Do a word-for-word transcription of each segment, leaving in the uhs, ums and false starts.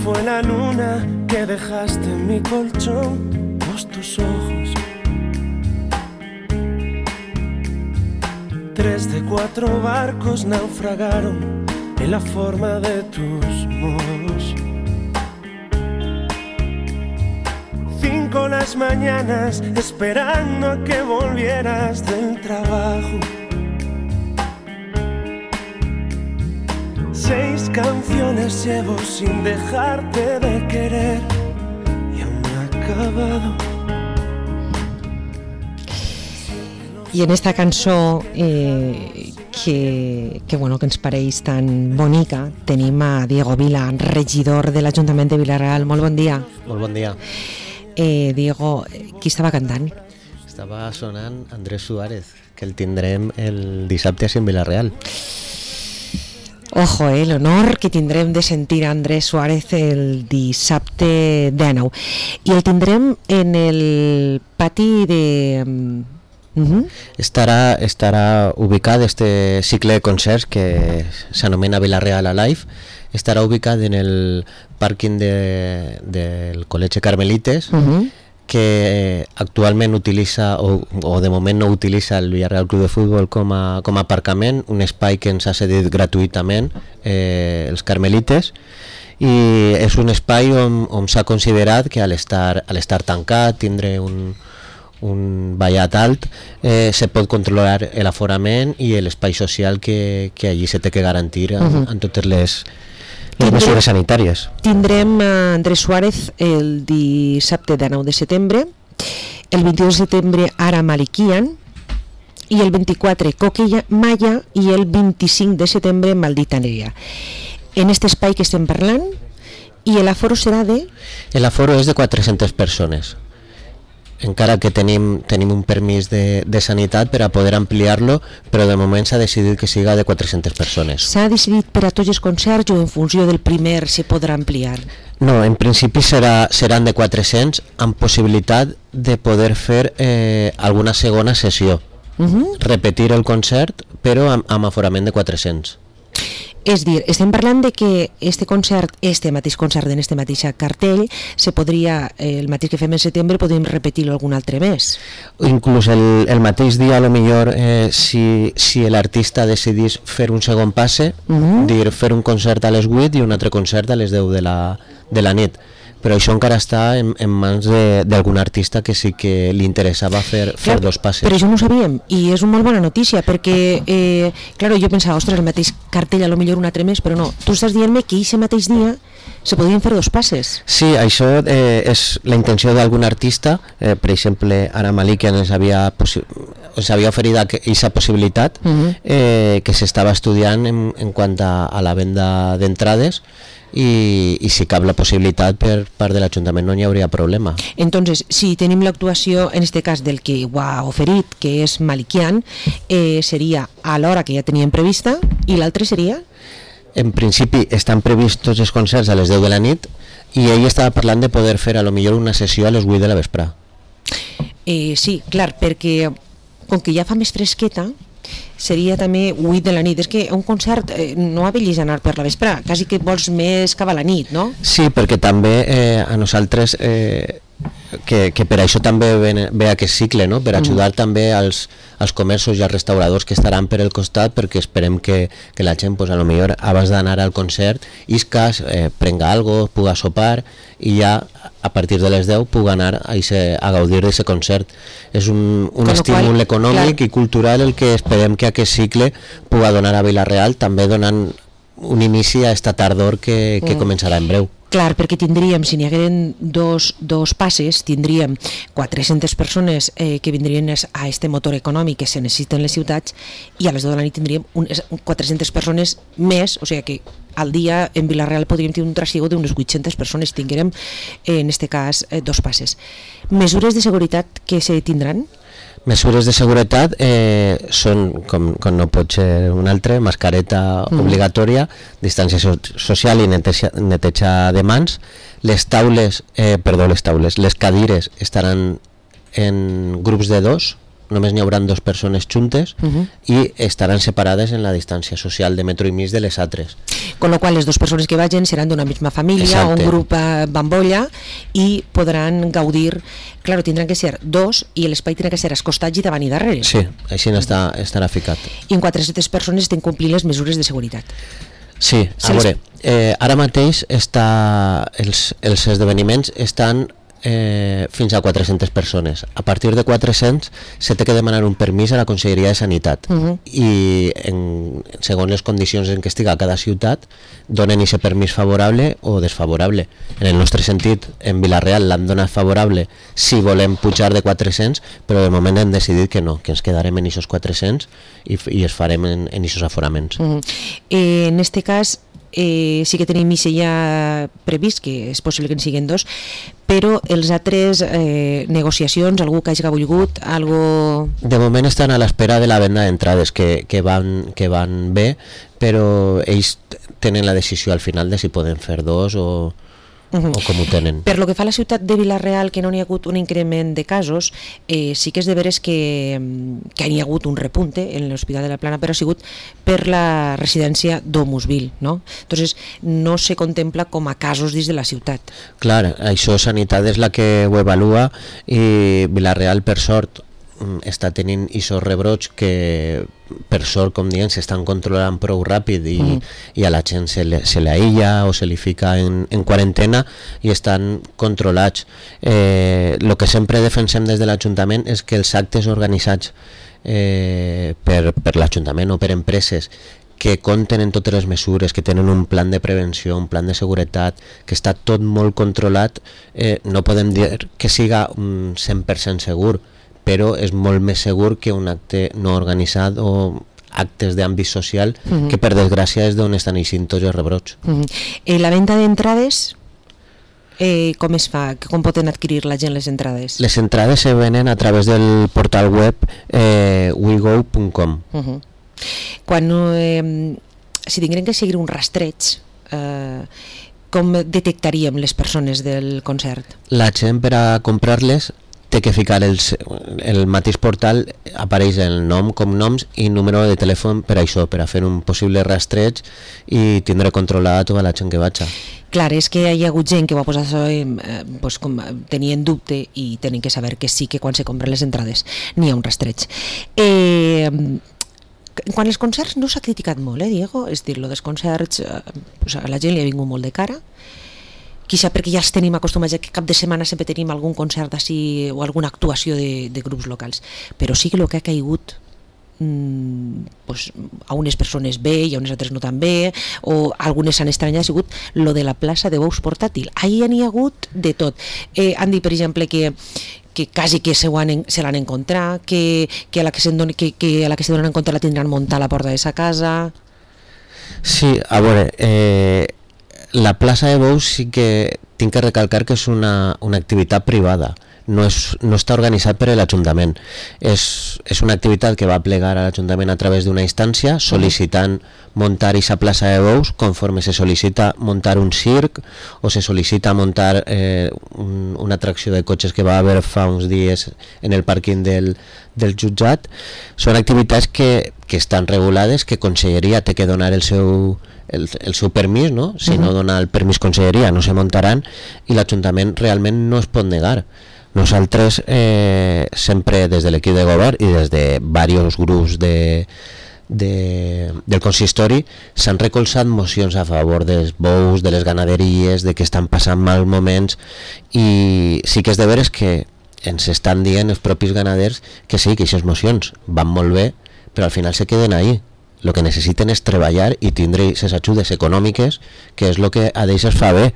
fue la luna que dejaste en mi colchón, los tus ojos. Tres de cuatro barcos naufragaron en la forma de tus modos. Cinco las mañanas esperando a que volvieras del trabajo. Seis canciones llevo sin dejarte de querer y aún no he acabado. I en esta cançó eh, que, que, bueno, que ens pareix tan bonica tenim a Diego Vila, regidor de l'Ajuntament de Vila-real. Molt bon dia. Molt bon dia. Eh, Diego, qui estava cantant? Estava sonant Andrés Suárez, que el tindrem el dissabte a en Vila-real. Ojo, eh, l'honor que tindrem de sentir a Andrés Suárez el dissabte dinou. I el tindrem en el pati de... Uh-huh. Estarà, estarà ubicat este cicle de concerts que s'anomena Vila-real Alive. Estarà ubicat en el pàrquing de, del Col·legi Carmelites, uh-huh. que actualment utilitza o, o de moment no utilitza el Villarreal Club de Futbol com a, com a aparcament, un espai que ens ha cedit gratuïtament eh, els Carmelites, i és un espai on, on s'ha considerat que a l'estar, a l'estar tancat, tindre un, un vallat alt, eh, se pot controlar l'aforament i l'espai social que, que allí se té que garantir en, uh-huh. en totes les les mesures sanitàries. Tindrem a Andrés Suárez el dissabte dinou de setembre, el vint-i-dos de setembre Ara Malikian i el vint-i-quatre Coquilla Maya i el vint-i-cinc de setembre Maldita Nerea. En aquest espai que estem parlant, i l'aforo serà de... L'aforo és de quatre-centes persones. Encara que tenim, tenim un permís de, de sanitat per a poder ampliar-lo, però de moment s'ha decidit que siga de quatre-centes persones. S'ha decidit per a tots els concerts o en funció del primer se podrà ampliar? No, en principi serà, seran de quatre-cents amb possibilitat de poder fer eh, alguna segona sessió. Uh-huh. Repetir el concert, però amb, amb aforament de quatre-cents. És dir, estem parlant de que este concert, este mateix concert en este mateix cartell, se podria, eh, el mateix que fem en setembre, podem repetir-lo algun altre mes. Inclús el, el mateix dia, a lo millor, eh, si, si l'artista decidís fer un segon passe, uh-huh. dir, fer un concert a les vuit i un altre concert a les deu de la, de la nit. Però això encara està en, en mans d'algun artista que sí que li interessava fer, fer clar, dos passes. Però això no ho sabíem, i és una molt bona notícia, perquè, eh, claro, jo pensava, ostres, el mateix cartell a lo millor un altre mes, però no, tu estàs dient-me que aquest mateix dia se podien fer dos passes. Sí, això eh, és la intenció d'algun artista, eh, per exemple, Ara Malikian ens havia, ens havia oferit aquesta possibilitat, uh-huh. eh, que s'estava estudiant en, en quant a, a la venda d'entrades, I, i si cap la possibilitat per part de l'Ajuntament no hi hauria problema. Entonces, si tenim l'actuació en este cas del que ho ha oferit, que és Malikian, eh, seria a l'hora que ja teníem prevista, i l'altre seria? En principi estan previstos tots els concerts a les deu de la nit i ell estava parlant de poder fer a lo millor una sessió a les vuit de la vesprà. Eh, sí, clar, perquè com que ja fa més fresqueta, seria també vuit de la nit. És que un concert eh, no ha de anar per la vesprà, quasi que vols més cap a la nit, no? Sí, perquè també eh, a nosaltres eh, que, que per això també ve, ve aquest cicle, no? Per ajudar mm. també als, als comerços i als restauradors que estaran per el costat, perquè esperem que, que la gent, pues, a lo millor abans d'anar al concert iscas, eh, prenga algo, puga sopar i ja a partir de les deu puga anar a, ese, a gaudir d'aquest concert. És un, un estímul qual, econòmic clar. I cultural el que esperem que aquest cicle puga donar a Vila-real, també donant un inici a esta tardor que, que mm. començarà en breu. Clar, perquè tindríem, si n'hi hagueren dos, dos passes, tindríem quatre-centes persones eh, que vindrien a este motor econòmic que se necessiten les ciutats, i a les deu de la nit tindríem un, quatre-centes persones més, o sigui que al dia en Vila-real podríem tenir un trasiego d'unes vuit-centes persones, tinguérem eh, en este cas eh, dos passes. Mesures de seguretat que se tindran? Mesures de seguretat eh, són, com, com no pot ser un altre, mascareta mm. obligatòria, distància so social i neteja, neteja de mans. Les taules, eh, perdó, les taules, les cadires estaran en grups de dos, només n'hi haurà dos persones juntes uh -huh. i estaran separades en la distància social de metro i mig de les altres. Con lo qual les dues persones que vagin seran d'una misma família, exacte, o un grup bambolla, i podran gaudir, claro, tindran que ser dos i l'espai tindrà que ser als costats i davant i darrere. Sí, així està, estarà ficat. I en quatre-centes persones estan complint les mesures de seguretat. Sí, a veure, eh, ara mateix està, els, els esdeveniments estan eh, fins a quatre-centes persones. A partir de quatre-cents se té que demanar un permís a la Conselleria de Sanitat uh -huh. i en, segons les condicions en què estiga cada ciutat donen aquest permís favorable o desfavorable. En el nostre sentit, en Vila-real l'han donat favorable si volem pujar de quatre-cents, però de moment hem decidit que no, que ens quedarem en aquests quatre-cents i, i es farem en aquests aforaments. Uh -huh. eh, en este cas Eh, sí que tenim això ja previst, que és possible que en siguin dos, però els altres eh, negociacions, algú que hagi volgut, algo... De moment estan a l'espera de la venda d'entrades, que, que, van, que van bé, però ells tenen la decisió al final de si poden fer dos o... Uh-huh. o com ho tenen. Per lo que fa a la ciutat de Vila-real, que no n'hi ha hagut un increment de casos, eh, sí que és de veres que, que n'hi ha hagut un repunte en l'Hospital de la Plana, però ha sigut per la residència d'Homusville, no? Entonces no se contempla com a casos dins de la ciutat. Clar, això Sanitat és la que ho evalua i Vila-real, per sort, està tenint aquests rebrots que per sort, com diem, s'estan controlant prou ràpid i, mm. i a la gent se, le, se l'aïlla o se li fica en, en quarantena i estan controlats. Eh, el que sempre defensem des de l'Ajuntament és que els actes organitzats eh, per, per l'Ajuntament o per empreses que compten en totes les mesures, que tenen un plan de prevenció, un plan de seguretat, que està tot molt controlat, eh, no podem dir que siga un cent per cent segur, però és molt més segur que un acte no organitzat o actes d'àmbit social, uh-huh. que per desgràcia és d'on estan eixint tots els rebrots. Uh-huh. eh, la venda d'entrades, eh, com es fa? Com poden adquirir la gent les entrades? Les entrades se venen a través del portal web eh, we go punt com. Uh-huh. Quan eh, si tinguem que seguir un rastreig, eh, com detectaríem les persones del concert? La gent, per a comprar-les, té que ficar els, el mateix portal, apareix el nom, cognoms i número de telèfon per això, per a fer un possible rastreig i tindre controlada tota la gent que vaja. Clar, és que hi ha hagut gent que va posar això, eh, pues, com tenien dubte i tenen que saber que sí que quan se compren les entrades n'hi ha un rastreig. Eh, quan els concerts no s'ha criticat molt, eh, Diego? És dir, lo dels concerts, eh, pues a la gent li ha vingut molt de cara, quizá perquè ja els tenim acostumats a que cap de setmana sempre tenim algun concert així o alguna actuació de, de grups locals, però sí que el que ha caigut mmm, pues, a unes persones bé i a unes altres no tan bé, o algunes s'han estranyat, ha sigut lo de la plaça de bous portàtil. Ahir n'hi ha hagut de tot. Eh, han dit, per exemple, que que quasi que se, han, se l'han encontrat, que, que, a la que, se doni, que, que a la que se donen en compte la tindran muntar a la porta de sa casa. Sí, a veure, eh, la plaça de bous sí que tinc que recalcar que és una, una activitat privada, no, és, no està organitzat per l'Ajuntament. És, és una activitat que va plegar a l'Ajuntament a través d'una instància sol·licitant muntar aquesta plaça de bous conforme se sol·licita muntar un circ o se sol·licita muntar eh, un, una atracció de cotxes que va haver fa uns dies en el pàrquing del, del jutjat. Són activitats que, que estan regulades, que Conselleria té que donar el seu El, el seu permís, no? Si uh-huh. no dona el permís Conselleria no se muntaran i l'Ajuntament realment no es pot negar. Nosaltres eh, sempre des de l'equip de govern i des de diversos grups de, de, del consistori s'han recolzat mocions a favor dels bous, de les ganaderies, de que estan passant mals moments, i sí que és de veres que ens estan dient els propis ganaders que sí, que aquestes mocions van molt bé, però al final se queden ahí. El que necessiten és treballar i tindre les ajudes econòmiques, que és el que a d'ells es fa bé.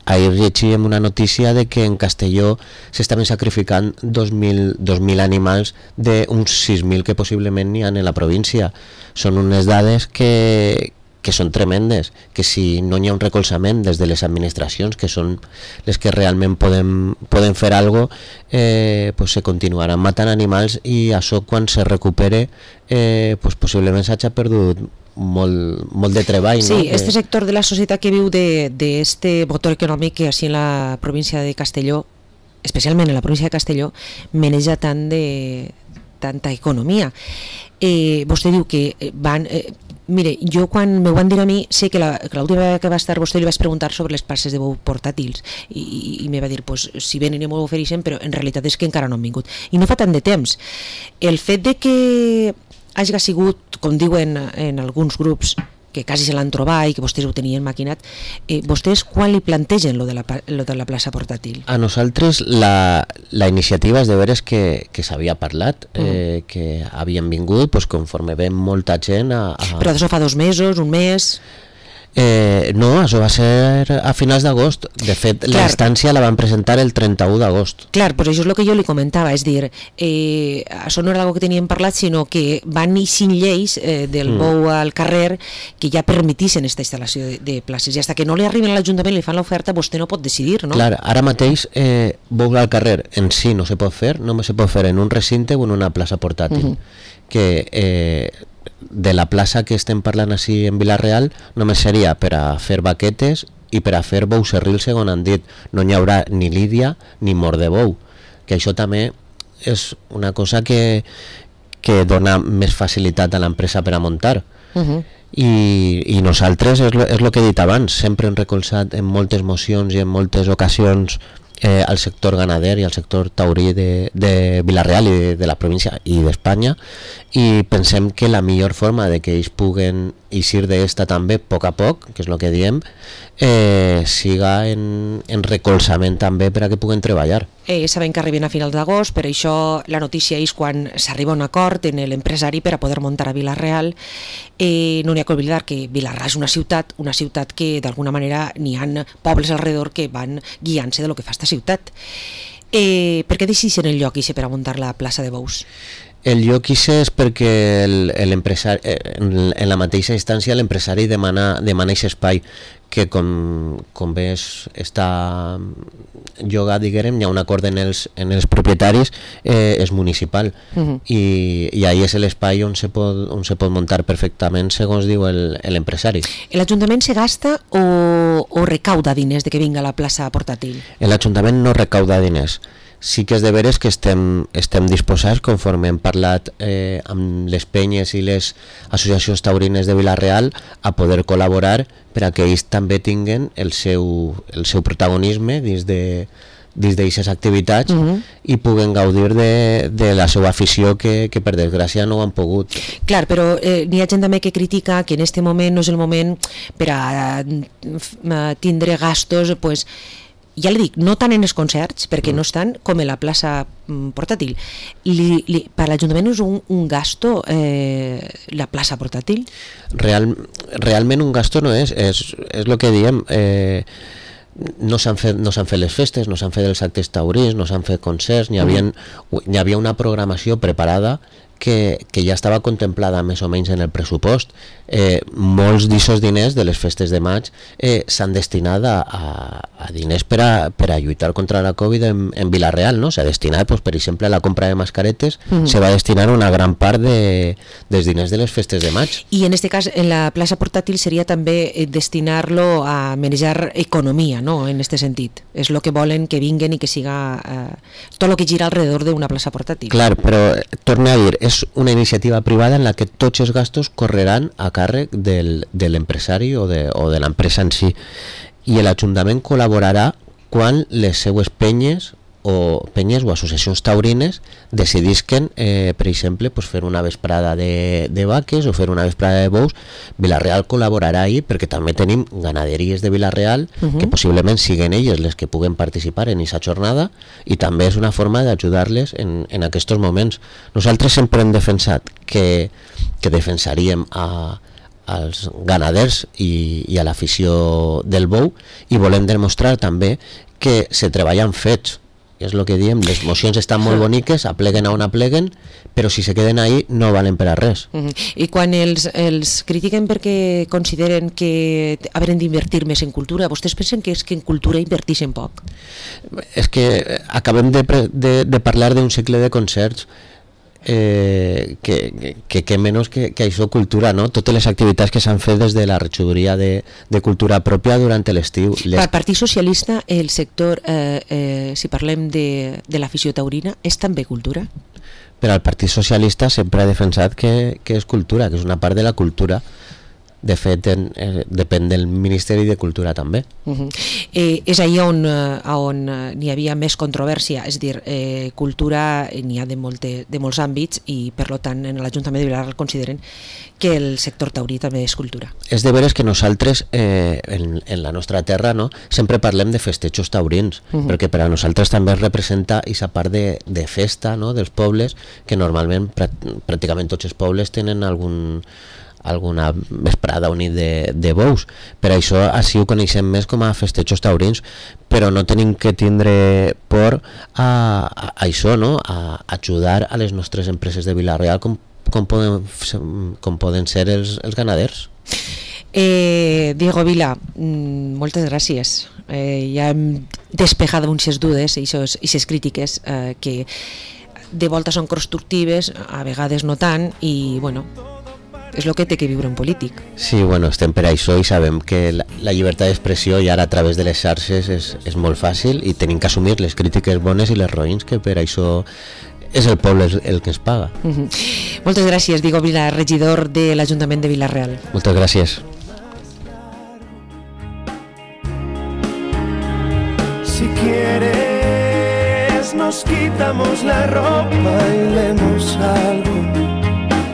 Ahir llegíem una notícia de que en Castelló s'estaven sacrificant dos mil animals d'uns sis mil que possiblement n'hi ha en la província. Són unes dades que, que són tremendes, que si no hi ha un recolzament des de les administracions, que són les que realment poden, poden fer alguna cosa, eh, pues se continuaran matant animals, i això quan se recupere eh, pues possiblement s'hagi perdut molt, molt de treball. Sí, no? este sector de la societat que viu d'este motor econòmic que així en la província de Castelló, especialment en la província de Castelló, maneja tant de tanta economia. Eh, vostè diu que van... Eh, mire, jo quan me ho van dir a mi, sé que l'última vegada que va estar vostè li vaig preguntar sobre les places de bou portàtils i, i, i me va dir, pues, si venen i m'ho ofereixen, però en realitat és que encara no han vingut. I no fa tant de temps. El fet de que hagi sigut, com diuen en alguns grups, que quasi se l'han trobat i que vostès ho tenien maquinat, eh, vostès quan li plantegen lo de la, lo de la plaça portàtil? A nosaltres la, la iniciativa és de veres que, que s'havia parlat, mm. eh, que havien vingut pues, conforme ven molta gent a, a... Però això fa dos mesos, un mes... Eh, no, això va ser a finals d'agost. De fet, clar, la instància la van presentar el trenta-u d'agost. Clar, pues això és el que jo li comentava, és dir, eh, això no era algo que teníem parlat, sinó que van eixint lleis eh, del mm. bou al carrer que ja permetissin aquesta instal·lació de, de places, i fins que no li arriben a l'Ajuntament i li fan l'oferta, vostè no pot decidir, no? Clar, ara mateix eh, bou al carrer en si no se pot fer, només se pot fer en un recinte o en una plaça portàtil. Mm-hmm. Que eh, de la plaça que estem parlant així en Vila-real només seria per a fer baquetes i per a fer bou serril, segons han dit. No hi haurà ni lídia ni mort de bou, que això també és una cosa que, que dona més facilitat a l'empresa per a muntar. Uh-huh. I, i nosaltres, és lo, és lo que he dit abans, sempre hem recolzat en moltes mocions i en moltes ocasions Eh, al sector ganader i al sector taurí de, de Vila-real i de, de la província i d'Espanya, i pensem que la millor forma de que ells puguen eixir d'esta també a poc a poc, que és el que diem, eh, siga en, en recolzament també per a que puguen treballar. Eh, sabem que arriben a finals d'agost, per això la notícia és quan s'arriba a un acord en l'empresari per a poder muntar a Vila-real. Eh, no n'hi ha que oblidar que Vila-real és una ciutat, una ciutat que d'alguna manera n'hi ha pobles alrededor que van guiant-se de lo que fa esta ciutat. Eh, per què decideixen el lloc per a muntar la plaça de bous? El lloc és perquè l'empresari, en, en la mateixa instància l'empresari demana, demana aquest espai que com, com ves està llogat, diguem, hi ha un acord en els, en els propietaris, eh, és municipal. Uh-huh. I, i ahí és l'espai on, se pot, on se pot muntar perfectament segons diu l'empresari. L'Ajuntament se gasta o, o recauda diners de que vinga la plaça portàtil? L'Ajuntament no recauda diners. Sí que és de veres que estem, estem disposats, conforme hem parlat eh, amb les penyes i les associacions taurines de Vila-real, a poder col·laborar per a que ells també tinguen el seu, el seu protagonisme dins de dins d'aquestes activitats, uh-huh, i puguen gaudir de, de la seva afició que, que per desgràcia no ho han pogut. Clar, però eh, n'hi ha gent també que critica que en este moment no és el moment per a, a tindre gastos, pues, ja li dic, no tant en els concerts, perquè mm. no estan com en la plaça mm, portàtil. Li, li, per l'Ajuntament és un, un gasto eh, la plaça portàtil? Real, realment un gasto no és, és, és el que diem, eh, no s'han fet, no s'han fet les festes, no s'han fet els actes taurins, no s'han fet concerts, n'hi havia, n'hi havia una programació preparada que, que ja estava contemplada més o menys en el pressupost. Eh, molts d'aquests diners de les festes de maig eh, s'han destinat a, a, a diners per a, per a lluitar contra la Covid en, en Vila-real, no? S'ha destinat, pues, per exemple, a la compra de mascaretes, mm. se va destinar una gran part de, dels diners de les festes de maig. I en este cas, en la plaça portàtil seria també destinar-lo a manejar economia, no? En este sentit. És el que volen que vinguen i que siga eh, tot el que gira alrededor d'una plaça portàtil. Clar, però torna a dir, és una iniciativa privada en la que tots els gastos correran a càrrec del, de l'empresari o de, o de l'empresa en si, i l'Ajuntament col·laborarà quan les seues penyes o penyes o associacions taurines decidisquen, eh, per exemple, pues, fer una vesprada de, de vaques o fer una vesprada de bous. Vila-real col·laborarà ahí perquè també tenim ganaderies de Vila-real, uh-huh, que possiblement siguen elles les que puguen participar en aquesta jornada, i també és una forma d'ajudar-les en, en aquests moments. Nosaltres sempre hem defensat que, que defensaríem a als ganaders i, i a l'afició del bou, i volem demostrar també que se treballen fets. És el que diem, les mocions estan molt boniques, apleguen a on apleguen, però si se queden ahí no valen per a res. Uh-huh. I quan els, els critiquen perquè consideren que haurem d'invertir més en cultura, vostès pensen que és que en cultura invertixen poc? És que acabem de, de, de parlar d'un cicle de concerts, eh, que, que, que menys que, que això cultura, no? Totes les activitats que s'han fet des de la regidoria de, de cultura pròpia durant l'estiu. Les... Per Partit Socialista, el sector, eh, eh, si parlem de, de l'afició taurina, és també cultura? però el Partit Socialista sempre ha defensat que, que és cultura, que és una part de la cultura. De fet, en, eh, depèn del Ministeri de Cultura també. Uh-huh. eh, és allà on, eh, on n'hi havia més controvèrsia, és a dir, eh, cultura n'hi ha de, molte, de molts àmbits i per tant en l'Ajuntament de Vila-real consideren que el sector taurí també és cultura. És de veres que nosaltres eh, en, en la nostra terra, no, sempre parlem de festejos taurins, uh-huh. perquè per a nosaltres també representa aquesta part de, de festa, no, dels pobles, que normalment prà, pràcticament tots els pobles tenen algun alguna vesprada o nit de, de bous. Per això així ho coneixem més com a festejos taurins, però no tenim que tindre por a, a, a això, no? A ajudar a les nostres empreses de Vila-real com, com, poden, com poden ser els, els ganaders. Eh, Diego Vila, moltes gràcies. Eh, ja hem despejat unes dudes i aquestes crítiques eh, que de volta són constructives, a vegades no tant, i bueno, és el que té que viure un polític. Sí, bueno, estem per això i sabem que la, la llibertat d'expressió i ara a través de les xarxes és, és molt fàcil i tenim que assumir les crítiques bones i les roïns, que per això és el poble el, el que ens paga. Uh-huh. Moltes gràcies, Diego Vila, regidor de l'Ajuntament de Vila-real. Moltes gràcies. Si quieres nos quitamos la ropa y leemos algo